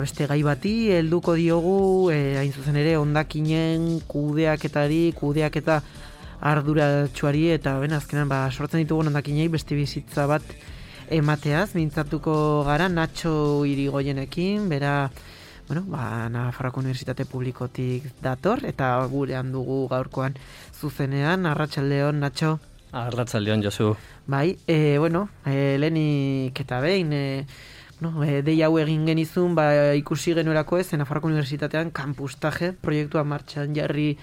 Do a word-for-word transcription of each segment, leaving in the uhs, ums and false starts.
Beste gai bati, helduko diogu, e, hain zuzen ere, hondakinen kudeaketari, kudeaketa arduratsuari, eta ben, azkenan, ba, sortzen ditugun hondakinei beste bizitza bat emateaz, mintzatuko gara, Natxo Irigoyenekin, bera, bueno, ba, Nafarroako Unibertsitate Publikotik dator, eta gurean dugu gaurkoan zuzenean, arratsaldeon, Natxo. Arratsaldeon, Josu. Bai, e, bueno, e, lehenik eta behin, e, No, e, dei hau egin genizun, ba, ikusi genuelako ez, Nafarroako Unibertsitatean kampustaje proiektua martxan jarri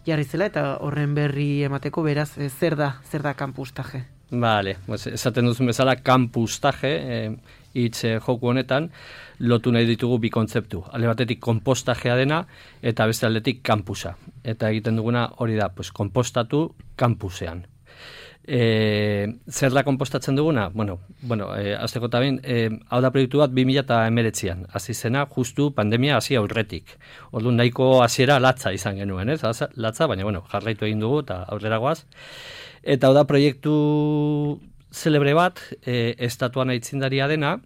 jarri zela, eta horren berri emateko beraz, e, zer da, zer da kampustaje? Vale, pues, esaten duzun bezala, kampustaje, e, hitz e, joku honetan, lotu nahi ditugu bi kontzeptu. Alde batetik konpostajea dena, eta beste aldetik kampusa. Eta egiten duguna hori da, pues, konpostatu kampusean. E, zer da konpostatzen duguna? Bueno, bueno e, azteko eta behin, e, hau da proiektu bat bi mila hemeretzian, hasi zena justu pandemia hasi aurretik. Orduan nahiko hasiera latza izan genuen, ez? Latza, baina bueno, jarraitu egin dugu eta aurrera goaz. Eta hau da proiektu zelebre bat, e, estatuan aitzindaria dena,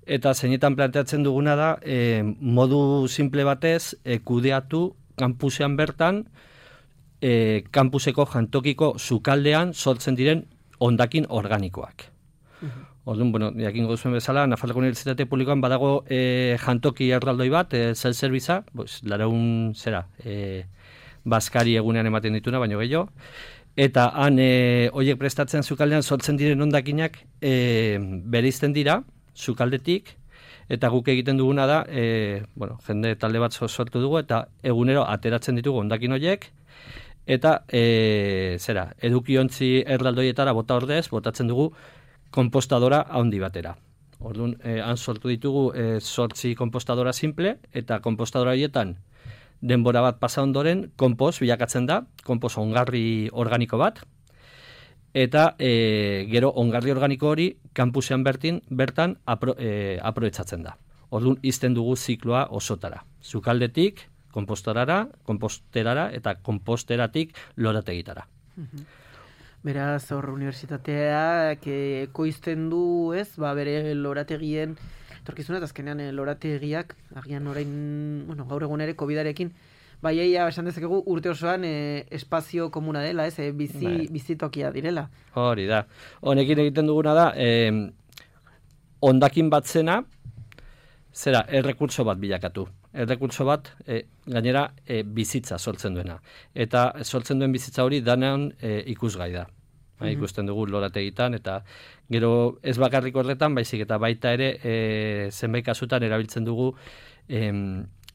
eta zeinetan planteatzen duguna da, e, modu simple batez, e, kudeatu kampusean bertan, E, kampuseko jantokiko sukaldean sortzen diren hondakin organikoak. Uh-huh. Orduan, bueno, jakingo duzuen bezala, Nafarroako Unibertsitate Publikoan badago e, jantoki erraldoi bat, e, self-serviza, pues, laraun zera, e, bazkari egunean ematen dituna, baino gehiago, eta han e, horiek prestatzen sukaldean sortzen diren hondakinak e, bereizten dira, sukaldetik, eta guk egiten duguna da, e, bueno, jende talde bat sortu dugu, eta egunero ateratzen ditugu hondakin horiek, eta, e, zera, edukiontzi erraldoietara bota ordez, botatzen dugu konpostadora handi batera. Orduan, e, han sortu ditugu e, sortzi konpostadora simple, eta konpostadora horietan denbora bat pasa ondoren, konpost bilakatzen da, konpost ongarri organiko bat, eta e, gero ongarri organiko hori kampusean bertin, bertan apro, e, aproetzatzen da. Orduan, izten dugu zikloa osotara. Sukaldetik, kompostorara, komposterara eta komposteratik lorategitara. Beraz, hor unibertsitateak ekoizten du, ez, ba, bere lorategien, etorkizuna, eta azkenean lorategiak, agian orain, bueno, gaur egun ere, kovidarekin, bai, eia, esan dezakegu, urte osoan e, espazio komuna dela, ez, e, bizi, bai. bizitokia direla. Hori da. Honekin egiten duguna da, eh, hondakin bat zena, zera, errekurtso bat bilakatu. Errekurtso bat, e, gainera, e, bizitza sortzen duena. Eta sortzen duen bizitza hori danean e, ikusgai da. Mm-hmm. Ikusten dugu lorategitan, eta gero ez bakarrik horretan, baizik eta baita ere e, zenbait kasutan erabiltzen dugu e,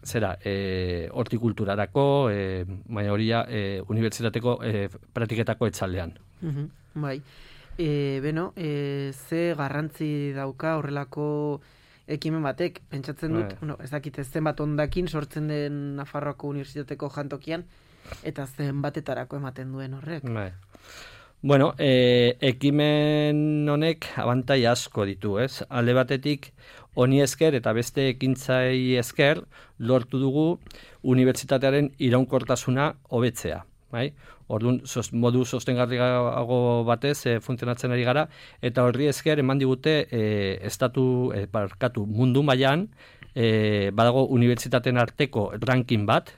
zera, e, hortikulturarako, e, baina horia e, unibertsitateko e, pratiketako etxaldean. Mm-hmm. Bai. E, beno, e, ze garrantzi dauka horrelako ekimen batek, pentsatzen dut, bueno, ez dakit zenbat hondakin sortzen den Nafarroako Unibertsitateko jantokian, eta zenbatetarako ematen duen horrek. Bai. Bueno, e, ekimen honek abantai asko ditu, ez? Alde batetik, honi esker eta beste ekintzai esker, lortu dugu unibertsitatearen iraunkortasuna hobetzea. Bai? Orduan, sos, modu sostengarriago batez e, funtzionatzen ari gara, eta horri esker eman digute e, estatu, e, barkatu, mundu mailan e, badago unibertsitateen arteko ranking bat,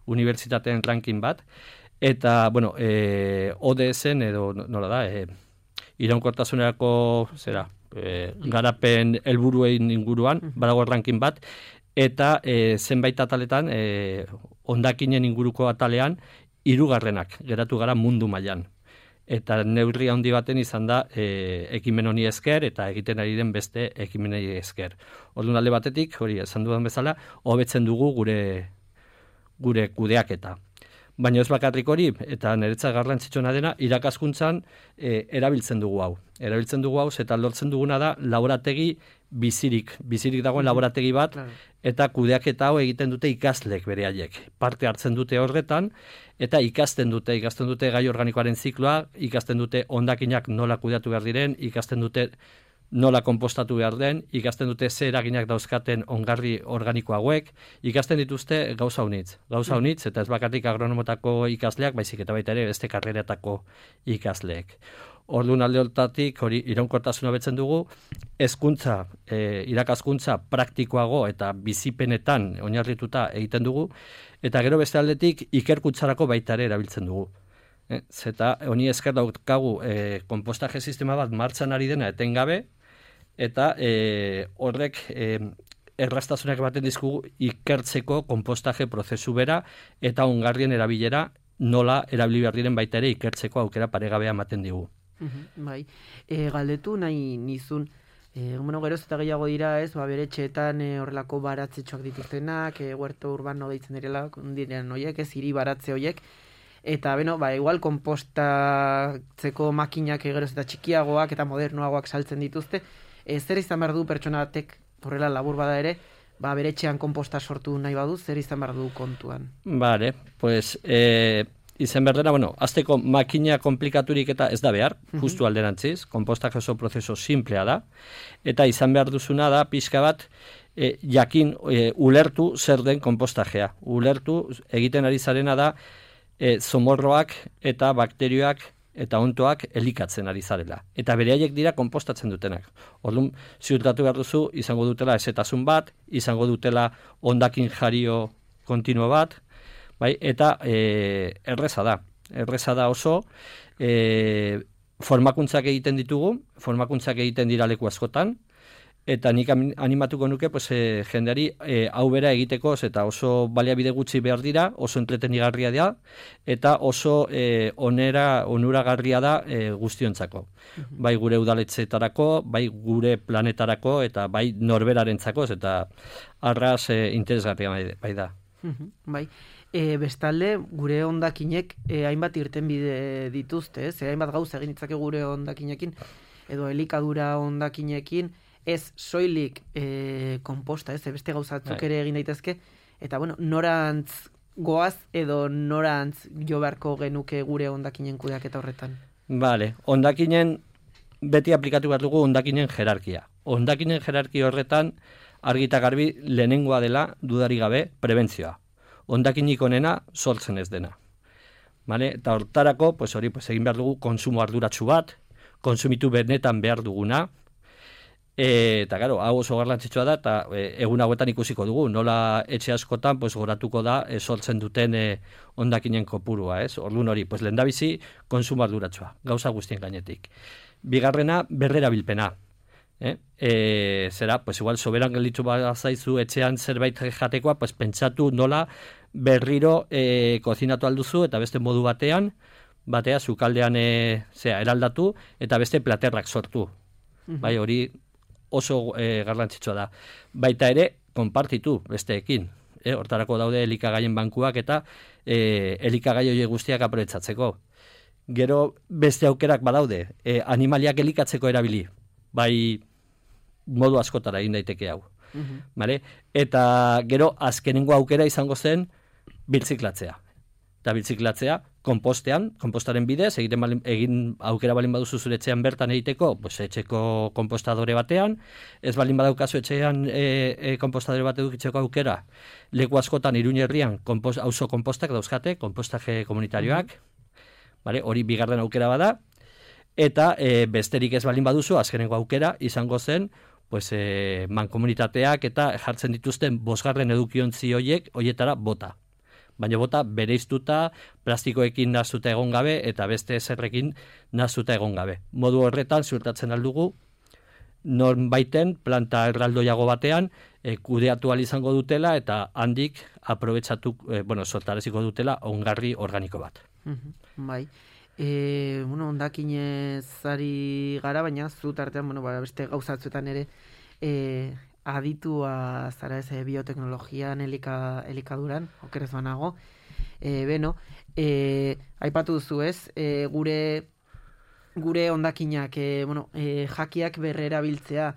unibertsitateen ranking bat, eta, bueno, e, O D S-en edo, nola da, e, iraunkortasunerako, zera, e, garapen helburuein inguruan, badago ranking bat, eta e, zenbait ataletan, e, hondakinen inguruko atalean, hirugarrenak geratu gara mundu mailan. Eta neurri handi baten izan da e, ekimen honi esker eta egiten ari den beste ekimenei esker. Orduan alde batetik, hori esan dudan bezala, hobetzen dugu gure gure kudeaketa. Baina ez bakarrik hori, eta niretzat garrantzitsuna dena, irakaskuntzan e, erabiltzen dugu hau. Erabiltzen dugu hau, eta lortzen duguna da laborategi bizirik, bizirik dagoen laborategi bat, eta kudeaketa hau egiten dute ikaslek bere haiek. Parte hartzen dute horretan, eta ikasten dute, ikasten dute gai organikoaren zikloa, ikasten dute hondakinak nola kudeatu behar diren, ikasten dute nola konpostatu behar den, ikasten dute ze eraginak dauzkaten ongarri organiko hauek, ikasten dituzte gauza unitz. Gauza unitz, eta ez bakarrik agronomotako ikasleak, baizik eta baita ere beste karreratako ikasleek. Orduan alde hortatik, hori iraunkortasuna betzen dugu, hezkuntza, e, irakaskuntza praktikoago eta bizipenetan oinarrituta egiten dugu, eta gero beste aldetik ikerkuntzarako baita ere erabiltzen dugu. E, zeta honi esker daukagu e, konpostaje sistema bat martxan ari dena etengabe, eta e, horrek e, erraztasunak baten dizkugu ikertzeko konpostaje prozesu bera eta ongarrien erabilera nola erabili behar diren baita ere ikertzeko aukera paregabea ematen digu. Uhum, bai, e, galdetu nahi nizun, e, bueno, geroz eta gehiago dira ez, ba, bere etxeetan e, horrelako baratzetxoak dituztenak, e, huerto urbano deitzen direla, diren horiek, ez, hiri baratze horiek, eta, beno, ba, igual konpostatzeko makinak geroz eta txikiagoak eta modernoagoak saltzen dituzte, e, zer izan behar du pertsona batek, horrela labur bada ere, ba, bere etxean konposta sortu nahi badu, zer izan behar du kontuan? Vale, pues, eh... Izen berdena, bueno, azteko makina komplikaturik eta ez da behar, justu alderantziz, konpostak oso prozeso simplea da, eta izan behar duzuna da, pixka bat, e, jakin, e, ulertu zer den konpostajea. Ulertu egiten ari zarena da, e, zomorroak eta bakterioak eta ontoak elikatzen ari zarela. Eta beraiek dira konpostatzen dutenak. Orduan, ziurtatu behar duzu, izango dutela ezetasun bat, izango dutela hondakin jario kontinuo bat, bai, eta e, erreza da. Erreza da oso, e, formakuntzak egiten ditugu, formakuntzak egiten dira leku askotan, eta nik animatuko nuke pues, e, jendeari e, hau bera egiteko, eta oso baliabide gutxi behar dira, oso entretenigarria da, eta oso e, onera, onuragarria da e, guztiontzako. Uh-huh. Bai gure udaletxeetarako, bai gure planetarako, eta bai norberarentzako, eta arras e, interesgarria bai, bai da. Uh-huh. Bai. E, bestalde, gure hondakinek e, hainbat irtenbide dituzte, ez? E, hainbat gauza egin ditzake gure hondakinekin, edo elikadura hondakinekin, ez soilik e, konposta, ez? E, beste gauzatzuk ere egin daitezke, eta bueno, norantz goaz edo norantz jo beharko genuke gure hondakinen kudeaketa horretan? Vale, hondakinen beti aplikatu behar dugu hondakinen jerarkia. Hondakinen jerarkia horretan argita garbi lehenengoa dela dudari gabe prebentzioa. Hondakinik onena sortzen ez dena. Vale? Eta hortarako, pues hori, pues egin behar dugu konsumo arduratsu bat, konsumitu benetan behar duguna, e, eta gero, hau oso garrantzitsua da, eta e, egun hauetan ikusiko dugu, nola etxe askotan, pues goratuko da, e, sortzen duten e, hondakinen kopurua, ez? Orduan hori, pues lehendabizi, konsumo arduratsua, gauza guztien gainetik. Bigarrena, berrerabilpena. Eh? E, zera, pues igual soberan gelditu bazaizu etxean zerbait jatekoa, pues pentsatu nola berriro e, kozinatu alduzu eta beste modu batean, batea sukaldean e, zera, eraldatu eta beste platerrak sortu. Mm-hmm. Bai, hori oso e, garrantzitsua da. Baita ere, konpartitu besteekin. E, hortarako daude elikagaien bankuak eta e, elikagai horiek guztiak aprobetxatzeko. Gero beste aukerak badaude, e, animaliak elikatzeko erabili. Bai, modu askotara egin daiteke hau. Uh-huh. Vale? Eta gero azkenengo aukera izango zen birtziklatzea. Eta birtziklatzea konpostean, konpostaren bidez, egiten balin, egin aukera balin baduzu zure etxean bertan egiteko, pues, etxeko konpostadore batean, ez balin badaukazu etxean e, e, konpostadore bat edukitzeko aukera, leku askotan Iruña herrian konpost, auzo konpostak dauzkate, konpostaje komunitarioak, uh-huh. Vale? Hori bigarren aukera bada, eta e, besterik ez balin baduzu, azkenengo aukera izango zen, pues, e, mankomunitateak eta jartzen dituzten bosgarren edukiontzi hoiek, hoietara bota. Baina bota bereiztuta, plastikoekin nazuta egon gabe, eta beste zerrekin nazuta egon gabe. Modu horretan, ziurtatzen aldugu, nonbaiten planta erraldoiago batean, e, kudeatu ahal izango dutela, eta handik aprobetxatu, e, bueno, sortareziko dutela ongarri organiko bat. Mm-hmm. Bai. E, bueno, hondakinez ari gara, baina zu tartean, bueno, ba, beste gauzatzuetan ere e, aditua zara ez e, bioteknologian, elika, elikaduran, okerez banago. E, beno, e, aipatu duzu ez, e, gure gure hondakinak, e, bueno, e, jakiak berrera biltzea,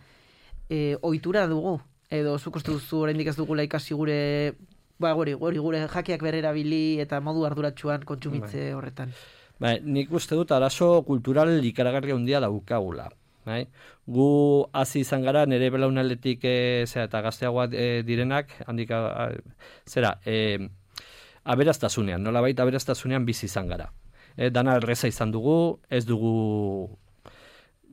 e, ohitura dugu, edo zuk uste duzu oraindik ez dugula ikasi gure, ba, gori, gori, gure jakiak berrera bili eta modu arduratsuan kontsumitze horretan. Ba, nik uste dut arazo kultural ikaragarria handia daukagula. Bai? Gu hasi izan gara, nire belaunaldetik e, zera, eta gazteagoa e, direnak, handik, a, a, zera, e, aberastasunean, nola baita aberastasunean bizi izan gara. E, dana erreza izan dugu, ez dugu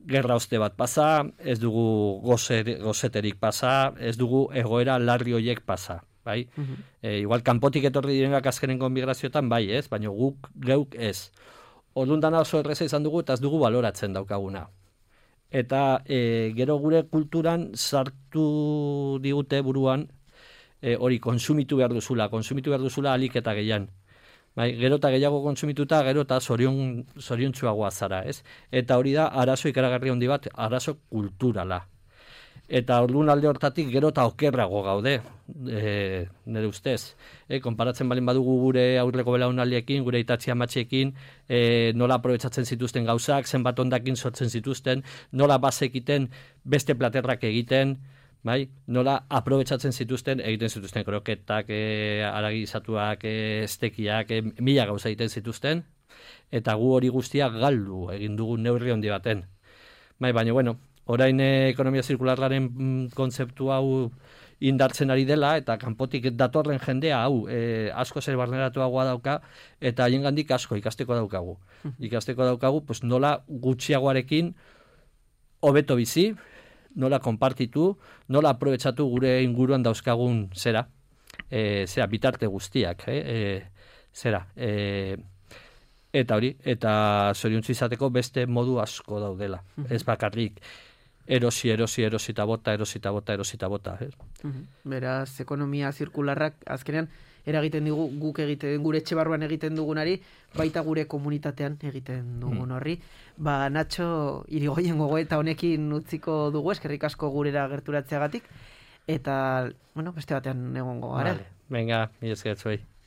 gerra oste bat pasa, ez dugu gozer, gozeterik pasa, ez dugu egoera larri horiek pasa. Bai? Uh-huh. e, igual kanpotik etorri direnak azkenengo migrazioetan bai ez, baina guk geuk ez. Orduan dana oso erreza izan dugu eta ez dugu baloratzen daukaguna. Eta e, gero gure kulturan sartu digute buruan e, hori konsumitu behar duzula, konsumitu behar duzula alik eta gehian. Bai, gero eta gehiago konsumituta, gero eta zorion, zoriontsuagoa zara, ez? Eta hori da, arazo ikaragarri handi bat, arazo kulturala. Eta orduan alde hortatik gero eta okerrago gaude, e, nire ustez. E, konparatzen balin badugu gure aurreko belaunaldiekin, gure itatzi amatxekin, e, nola aprobetsatzen zituzten gauzak, zenbat ondakin sortzen zituzten, nola bazekiten beste platerrak egiten, bai? Nola aprobetsatzen zituzten, egiten zituzten kroketak, e, aragizatuak, e, estekiak, e, mila gauza egiten zituzten, eta gu hori guztia galdu egin dugu neurri handi baten. Bai, baina, bueno, orain ekonomia zirkularraren kontzeptu hau indartzen ari dela, eta kanpotik datorren jendea hau e, asko zer barneratuagoa dauka, eta haiengandik asko ikasteko daukagu. Ikasteko daukagu, pues, nola gutxiagoarekin hobeto bizi, nola konpartitu, nola aprobetsatu gure inguruan dauzkagun zera, e, zera bitarte guztiak, e, e, zera, e, eta hori, eta zoriontzu izateko beste modu asko daudela, ez bakarrik. Erosi, erosi, erosi eta bota, erosi eta bota, erosi eta bota. Eh? Uh-huh. Beraz, ekonomia zirkularrak azkenean eragiten digu guk egiten, gure etxe barruan egiten dugunari, baita gure komunitatean egiten dugun horri. Mm. Ba, Nacho, Irigoyen gogoeta honekin utziko dugu, eskerrik asko gurera gerturatzeagatik, eta, bueno, beste batean egongo gara. Vale. Venga, mi esker zuei.